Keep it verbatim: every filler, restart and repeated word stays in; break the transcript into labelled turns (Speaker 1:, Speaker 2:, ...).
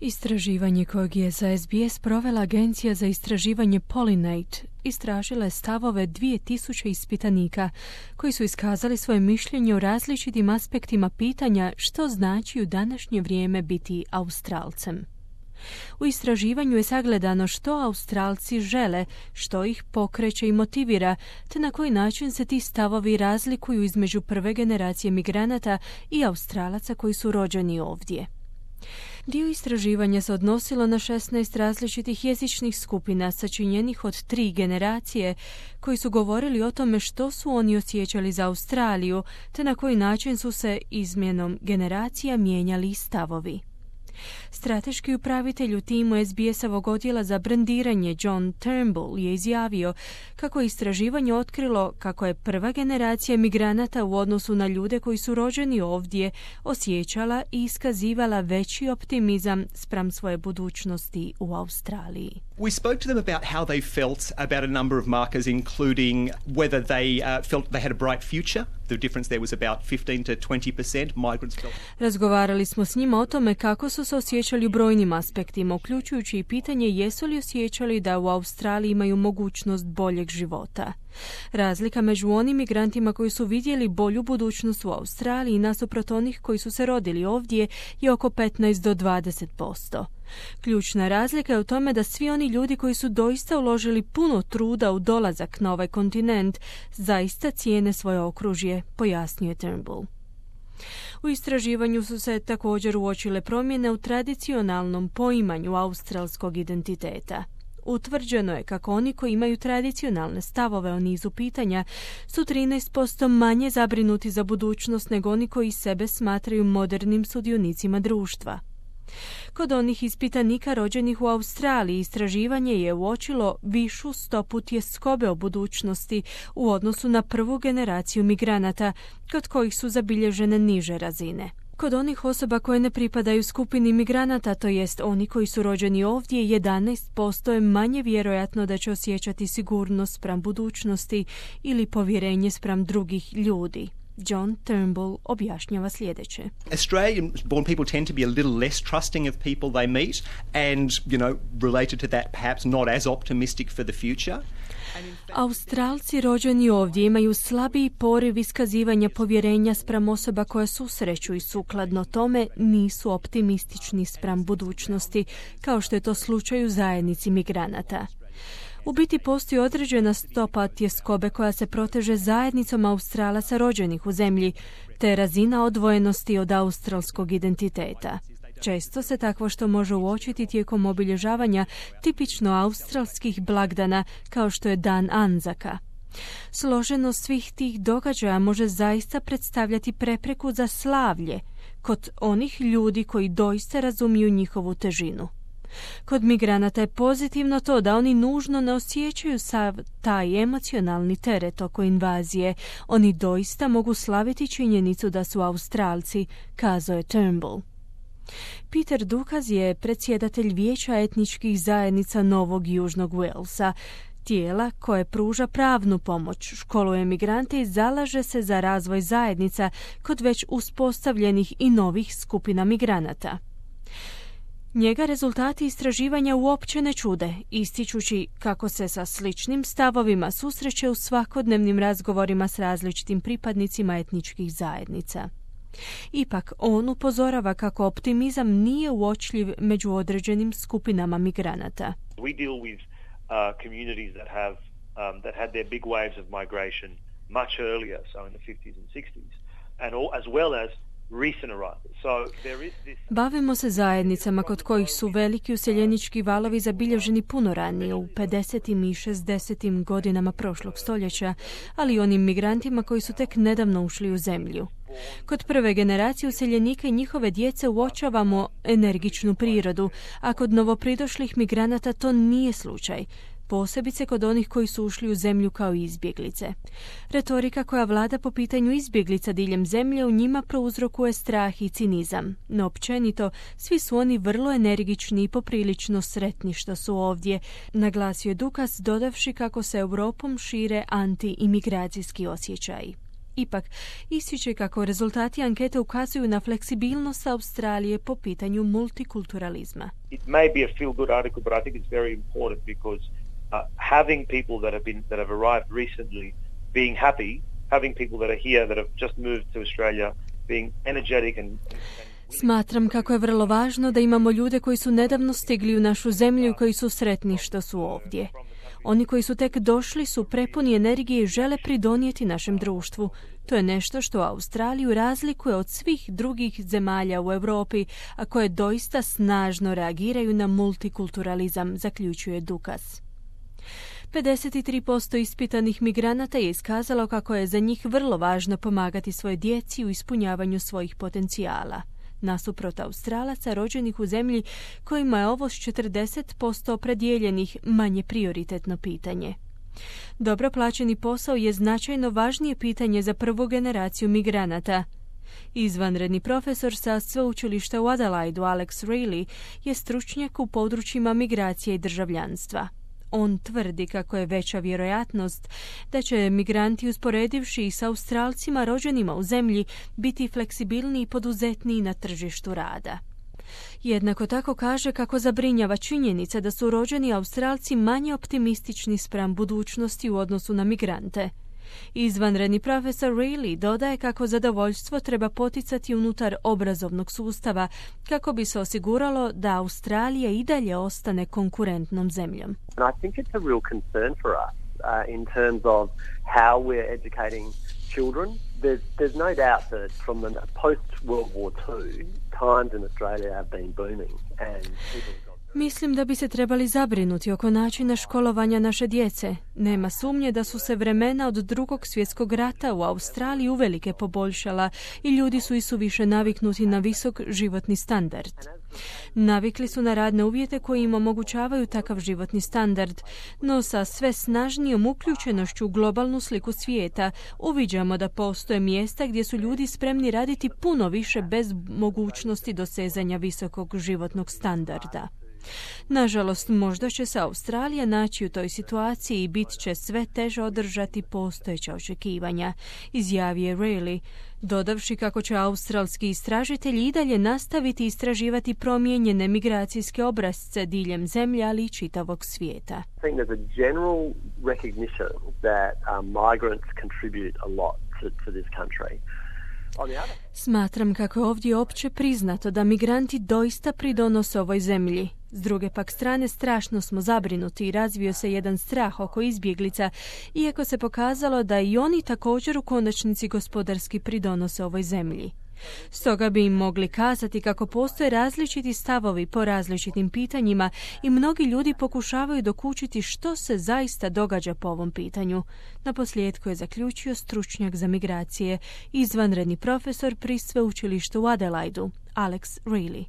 Speaker 1: Istraživanje kojeg je za S B S provela Agencija za istraživanje Pollinate istražila je stavove dvije tisuće ispitanika koji su iskazali svoje mišljenje o različitim aspektima pitanja što znači u današnje vrijeme biti Australcem. U istraživanju je sagledano što Australci žele, što ih pokreće i motivira, te na koji način se ti stavovi razlikuju između prve generacije migranata i Australaca koji su rođeni ovdje. Dio istraživanja se odnosilo na šesnaest različitih jezičnih skupina sačinjenih od tri generacije koji su govorili o tome što su oni osjećali za Australiju, te na koji način su se izmjenom generacija mijenjali stavovi. Strateški upravitelj u timu S B S-ovog odjela za brendiranje John Turnbull je izjavio kako je istraživanje otkrilo kako je prva generacija migranata u odnosu na ljude koji su rođeni ovdje osjećala i iskazivala veći optimizam spram svoje budućnosti u Australiji.
Speaker 2: We spoke to them about how they felt about a number of markers, including whether they uh, felt they had a bright future. The difference there was about fifteen to twenty percent. Migrants felt...
Speaker 1: Razgovarali smo s njima o tome kako su se osjećali u brojnim aspektima, uključujući i pitanje jesu li osjećali da u Australiji imaju mogućnost boljeg života. Razlika među onim migrantima koji su vidjeli bolju budućnost u Australiji nasuprot onih koji su se rodili ovdje je oko petnaest do dvadeset posto. Ključna razlika je u tome da svi oni ljudi koji su doista uložili puno truda u dolazak na ovaj kontinent zaista cijene svoje okružje, pojasnio Turnbull. U istraživanju su se također uočile promjene u tradicionalnom poimanju australskog identiteta. Utvrđeno je kako oni koji imaju tradicionalne stavove o nizu pitanja su trinaest posto manje zabrinuti za budućnost nego oni koji sebe smatraju modernim sudionicima društva. Kod onih ispitanika rođenih u Australiji istraživanje je uočilo višu stopu tjeskobe o budućnosti u odnosu na prvu generaciju migranata, kod kojih su zabilježene niže razine. Kod onih osoba koje ne pripadaju skupini migranata, to jest oni koji su rođeni ovdje, jedanaest posto je manje vjerojatno da će osjećati sigurnost spram budućnosti ili povjerenje spram drugih ljudi. John Turnbull objašnjava sljedeće.
Speaker 2: Australian-born people tend to be a little less trusting of people they meet and, you know, related to that perhaps not as optimistic for the future.
Speaker 1: Australci rođeni ovdje imaju slabiji poriv iskazivanja povjerenja spram osoba koja susreću i sukladno tome nisu optimistični spram budućnosti, kao što je to slučaj u zajednici migranata. U biti postoji određena stopa tjeskobe koja se proteže zajednicom Australaca rođenih u zemlji, te razina odvojenosti od australskog identiteta. Često se takvo što može uočiti tijekom obilježavanja tipično australskih blagdana kao što je Dan Anzaka. Složenost svih tih događaja može zaista predstavljati prepreku za slavlje kod onih ljudi koji doista razumiju njihovu težinu. Kod migranata je pozitivno to da oni nužno ne osjećaju sav taj emocionalni teret oko invazije. Oni doista mogu slaviti činjenicu da su Australci, kazao je Turnbull. Peter Dukaz je predsjedatelj Vijeća etničkih zajednica Novog Južnog Walesa, tijela koje pruža pravnu pomoć, školuje migrante i zalaže se za razvoj zajednica kod već uspostavljenih i novih skupina migranata. Njega rezultati istraživanja uopće ne čude, ističući kako se sa sličnim stavovima susreće u svakodnevnim razgovorima s različitim pripadnicima etničkih zajednica. Ipak, on upozorava kako optimizam nije uočljiv među određenim skupinama migranata.
Speaker 3: We deal with uh, communities that have um, that had their big waves of migration much earlier, so in the fifties and sixties, and all, as well as
Speaker 1: Bavimo se zajednicama kod kojih su veliki useljenički valovi zabilježeni puno ranije, u pedesetim i šezdesetim godinama prošlog stoljeća, ali i onim migrantima koji su tek nedavno ušli u zemlju. Kod prve generacije useljenika i njihove djece uočavamo energičnu prirodu, a kod novopridošlih migranata to nije slučaj, posebice kod onih koji su ušli u zemlju kao izbjeglice. Retorika koja vlada po pitanju izbjeglica diljem zemlje u njima prouzrokuje strah i cinizam. No općenito, svi su oni vrlo energični i poprilično sretni što su ovdje, naglasio je Dukas, dodavši kako se Europom šire anti-imigracijski osjećaji. Ipak, ističe kako rezultati ankete ukazuju na fleksibilnost Australije po pitanju multikulturalizma.
Speaker 3: It may be a feel-good article, but I think it's very important because uh, having people that have been that have arrived recently being happy, having people that are here that have just moved to Australia being energetic and, and
Speaker 1: Smatram kako je vrlo važno da imamo ljude koji su nedavno stigli u našu zemlju i koji su sretni što su ovdje. Oni koji su tek došli su prepuni energije i žele pridonijeti našem društvu. To je nešto što Australiju razlikuje od svih drugih zemalja u Europi, a koje doista snažno reagiraju na multikulturalizam, zaključuje Dukas. pedeset tri posto ispitanih migranata je iskazalo kako je za njih vrlo važno pomagati svoje djeci u ispunjavanju svojih potencijala. Nasuprot Australaca rođenih u zemlji kojima je ovo s četrdeset posto opredjeljenih manje prioritetno pitanje. Dobro plaćeni posao je značajno važnije pitanje za prvu generaciju migranata. Izvanredni profesor sa sveučilišta u Adelaidu Alex Rayleigh je stručnjak u područjima migracije i državljanstva. On tvrdi kako je veća vjerojatnost da će migranti, usporedivši s Australcima rođenima u zemlji, biti fleksibilniji i poduzetniji na tržištu rada. Jednako tako kaže kako zabrinjava činjenica da su rođeni Australci manje optimistični spram budućnosti u odnosu na migrante. Izvanredni profesor Rayleigh dodaje kako zadovoljstvo treba poticati unutar obrazovnog sustava kako bi se osiguralo da Australija i dalje ostane konkurentnom zemljom.
Speaker 4: I think it's a real concern for us uh, in terms of how we're educating children. There's, there's no doubt that from the post-World War Two, times in Australia have been booming and people got
Speaker 1: Mislim da bi se trebali zabrinuti oko načina školovanja naše djece. Nema sumnje da su se vremena od drugog svjetskog rata u Australiji uvelike poboljšala i ljudi su isuviše naviknuti na visok životni standard. Navikli su na radne uvjete koji im omogućavaju takav životni standard, no sa sve snažnijom uključenošću u globalnu sliku svijeta uviđamo da postoje mjesta gdje su ljudi spremni raditi puno više bez mogućnosti dosezanja visokog životnog standarda. Nažalost, možda će se Australija naći u toj situaciji i bit će sve teže održati postojeća očekivanja, izjavio je Rayleigh, dodavši kako će australski istražitelji i dalje nastaviti istraživati promijenjene migracijske obrasce diljem zemlje, ali i čitavog svijeta.
Speaker 4: I think there's a general recognition that um, migrants contribute a lot to, to this country.
Speaker 1: Smatram kako je ovdje opće priznato da migranti doista pridonose ovoj zemlji. S druge pak strane, strašno smo zabrinuti i razvio se jedan strah oko izbjeglica, iako se pokazalo da i oni također u konačnici gospodarski pridonose ovoj zemlji. Stoga bi im mogli kazati kako postoje različiti stavovi po različitim pitanjima i mnogi ljudi pokušavaju dokučiti što se zaista događa po ovom pitanju. Naposljetku je zaključio stručnjak za migracije, izvanredni profesor pri sveučilištu u Adelaidu, Alex Rayleigh.